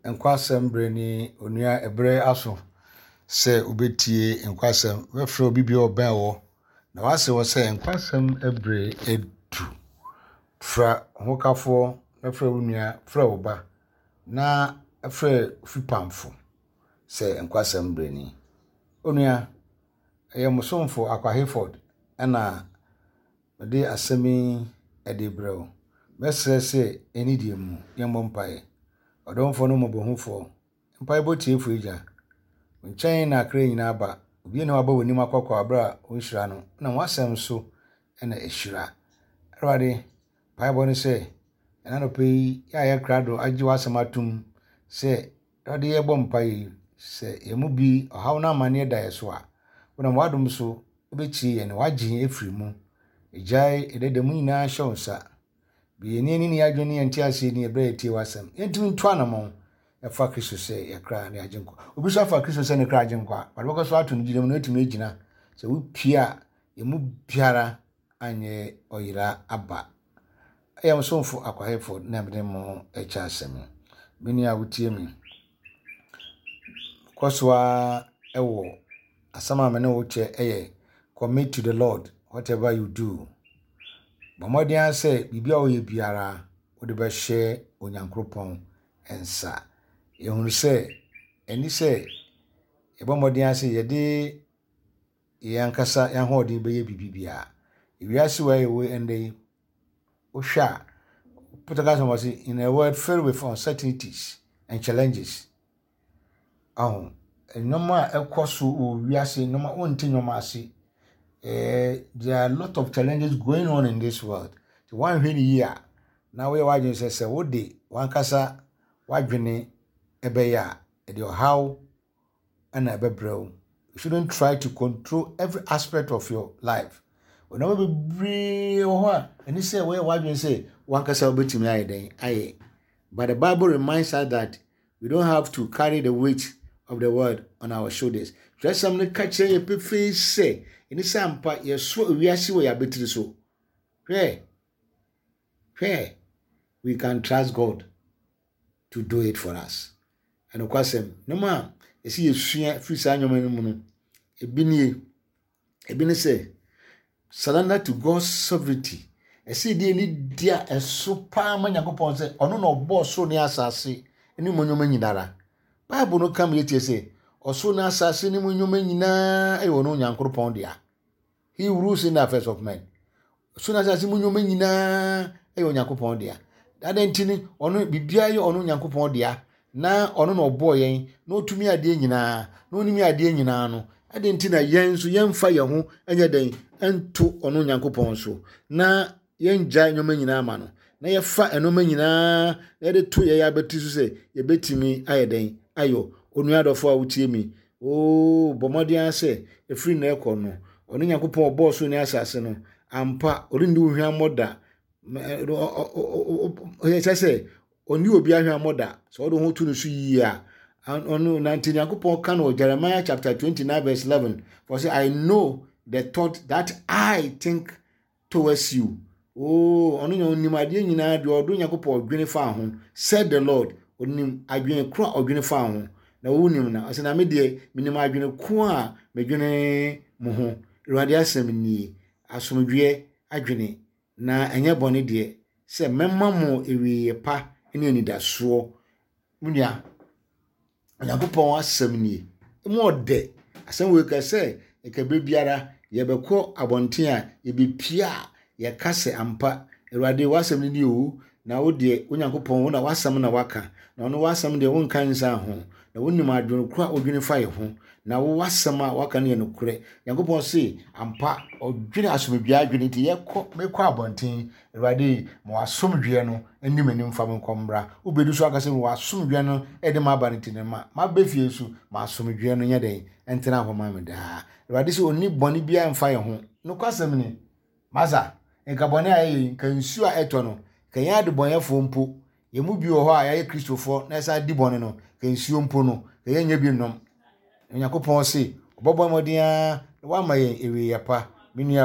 Nkwasɛm berɛ ni onua ɛberɛ aso sɛ wobɛtie nkwasɛm. Wobɛfrɛ obi bi a ɔbɛn wɔ na wase wɔ sɛ nkwasɛm berɛ adu. Fra hokafoɔ na frɛ wo nua, frɛ wo ba na frɛ fipamfo sɛ nkwasɛm berɛ ni. Onua, ɛyɛ mo somfo Akwa Hayford ɛna Mede asɛm yi de rebrɛ wo. Mɛsrɛ sɛ anidie mu yɛmmɔ mpaeɛ. Ɔdomfoɔ ne mmɔborɔhunufoɔ, mpaebɔ tiefoɔ Agya, wo nkyɛn na akra nyinaa ba. Obiara nni hɔ a ɔba w'anim akɔkɔ berɛ a wonhyira no, na w'asɛm nso na ɛhyira. Awurade, mpaebɔ ne sɛ, ɛna anɔpa yi, yɛ a yɛ krado agye w'asɛm atom sɛ Awurade yɛbɔ mpaeɛ yi, sɛ yɛn mu bi ɔhaw ne amanneɛ da yɛn so a, wonam w'adom so wobɛtie yɛn na woagye yɛn afiri mu. Yɛgyae yɛn dada mu nyinaa hyɛ wo nsa. Bue yɛn ani ne yɛn adwene ne yɛn nteaseɛ ni ɛberɛ a yɛtie w'asɛm. Yɛntumi ntu anammɔn ɛfa Kristo sɛ yɛn kra ne Agyenkwa. Obi nso afa Kristo sɛ ne kra Agyenkwa a, ɔde bɛkɔ so ato no gyina mu na watumi agyina. Sɛ wopie a, yɛn mu biara anyɛ ɔyera aba. Ɛyɛ mo somfo Akwa Hayford na mede mo rekyɛ asɛm yi. Me nua a wotie me, kɔ so ara wɔ asɛm a me ne wo kyɛ yɛ commit to the Lord whatever you do. Bɔ mmɔden ara sɛ biribi a woyɛ biara wode bɛhyɛ Onyankopɔn nsa. Yɛhunu sɛ ɛni sɛ yɛbɔ mmɔden ara sɛ yɛde yɛn ankasa yɛn ahoɔden bɛyɛ biribi biara. Ewiase wei a yɛwɔ yi ɛnnɛ yi, wohwɛ a, Portugal sɛ wɔse, in a world filled with uncertainties and challenges. Aho, nneɛma a ɛkɔ so wɔ wiase, nneɛma wonte nneɛma ase. Eh, there are a lot of challenges going on in this world. Nti woanhwɛ no yie a, na woyɛ w'adwene sɛ sɛ wode w'ankasa w'adwene ɛbɛyɛ a, ɛde ɔhaw na ɛbɛbrɛ wo. You shouldn't try to control every aspect of your life. Nneɛma bebree wɔ hɔ a ɛne sɛ wɔyɛ w'adwene sɛ wankasa wobɛtumi ayɛ dɛn ayɛ. But the Bible reminds us that we don't have to carry the weight of the world on our shoulders. Twerɛsɛm no ka kyerɛ yɛ pefee sɛ ɛne sɛ ampa yɛsoa wiase wɔ yɛn abatiri so. Hwɛ, hwɛ, we can trust God to do it for us. Ɛnokwasɛm, nneɛma a ɛsɛ yɛsua firi saa nneɛma no mu no, ebi nie. Ebi ne sɛ, surrender to God's sovereignty. Ɛsɛ yɛde ani di a ɛso paa ma Nyankopɔn sɛ ɔno na ɔbɔɔ soro ne asase ne mu nneɛma nyinara. Bible no ka ma yɛtie sɛ ɔsoro ne asase ne mu nneɛma nyinaa yɛ ɔno Nyankopɔn dea. He rules in the affairs of men. So na asase mu nneɛma nyinaa yɛ Onyankopɔn dea. Adɛn nti ne ɔno biribiara yɛ ɔno Onyankopɔn dea na ɔno na ɔbɔɔ yɛn na ɔtumi adeɛ nyinaa na ɔnim adeɛ nyinaa no adɛn nti na yɛn nso yɛmfa yɛn ho nyɛ dɛn nto ɔno Onyankopɔn so na yɛngyae nneɛma nyinaa ma no na yɛfa nneɛma nyinaa na yɛde to yɛn abati so sɛ yɛbɛtumi ayɛ dɛn ayɔ. Onua adɔfo a wotie mi, oo bɔ mmɔden ara sɛ ɛfiri nnɛ rekɔ no, ɔno Nyankopɔn ɔbɔɔ soro ne asase no, ampa ɔrenni wo hwammɔ da. Ɛkyɛ sɛ ɔnni obi ahwammɔ da. Sɛ ɔde ho to no so yie a, ɔno nante Nyankopɔn ka no wɔ Jeremiah chapter 29 verse 11 for say I know the thought that I think towards you. Oh, ɔno na ɔnim adeɛ nyinaa deɛ ɔdo Nyankopɔn ɔdwene faa ho. Said the Lord, ɔnim adwene ko a ɔdwene faa ho. Na wonim na ɔsɛ na me deɛ menim adwene ko a medwene mo ho. Awurade asɛm nie, asomdwoeɛ adwene na ɛnyɛ bɔne deɛ sɛ mɛma mo awieeɛ pa ne anidasoɔ. Me nua, Onyankopɔn asɛm nie. Emu ɔdɛ. Asɛm wei ka sɛ nka berɛ biara yɛbɛkɔ abɔnten a yɛbɛpie a yɛka sɛ ampa Awurade w'asɛm no nie o na wo deɛ Onyankopɔn wo na w'asɛm na waka na ɔno w'asɛm deɛ wonka nsan ho na wonim adwene koro a wodwene fa yɛ ho na wo w'asɛm a waka no yɛ nokorɛ. Nyankopɔn se ampa ɔdwene asomdwoeɛ adwene nti yɛkɔ mekɔ abɔnten Awurade ma w'asomdwoeɛ no nni m'anim mfa me nkɔ mmra. Wobɛdu so aka sɛ w'asomdwoeɛ no de m'aba no nti no ma maba fie nso ma asomdwoeɛ no nyɛ dɛn ntena hɔ ma me daa. Awurade sɛ ɔnni bɔne biara mfa yɛn ho. Nokwasɛm ni, masa, nka bɔne a yɛyɛ yi, nka nsuo a ɛtɔ no, nka yɛn adebɔnyɛfoɔ mpo, yɛn mu bi wɔ hɔ a yɛayɛ Kristofoɔ na yɛsan di bɔne no, nka nsuo mpo no, nka yɛnyɛ bi nnom. Onyankopɔn se, ɔbɛbɔ mmɔden ara na wama yɛn awieeɛ pa. Me nua.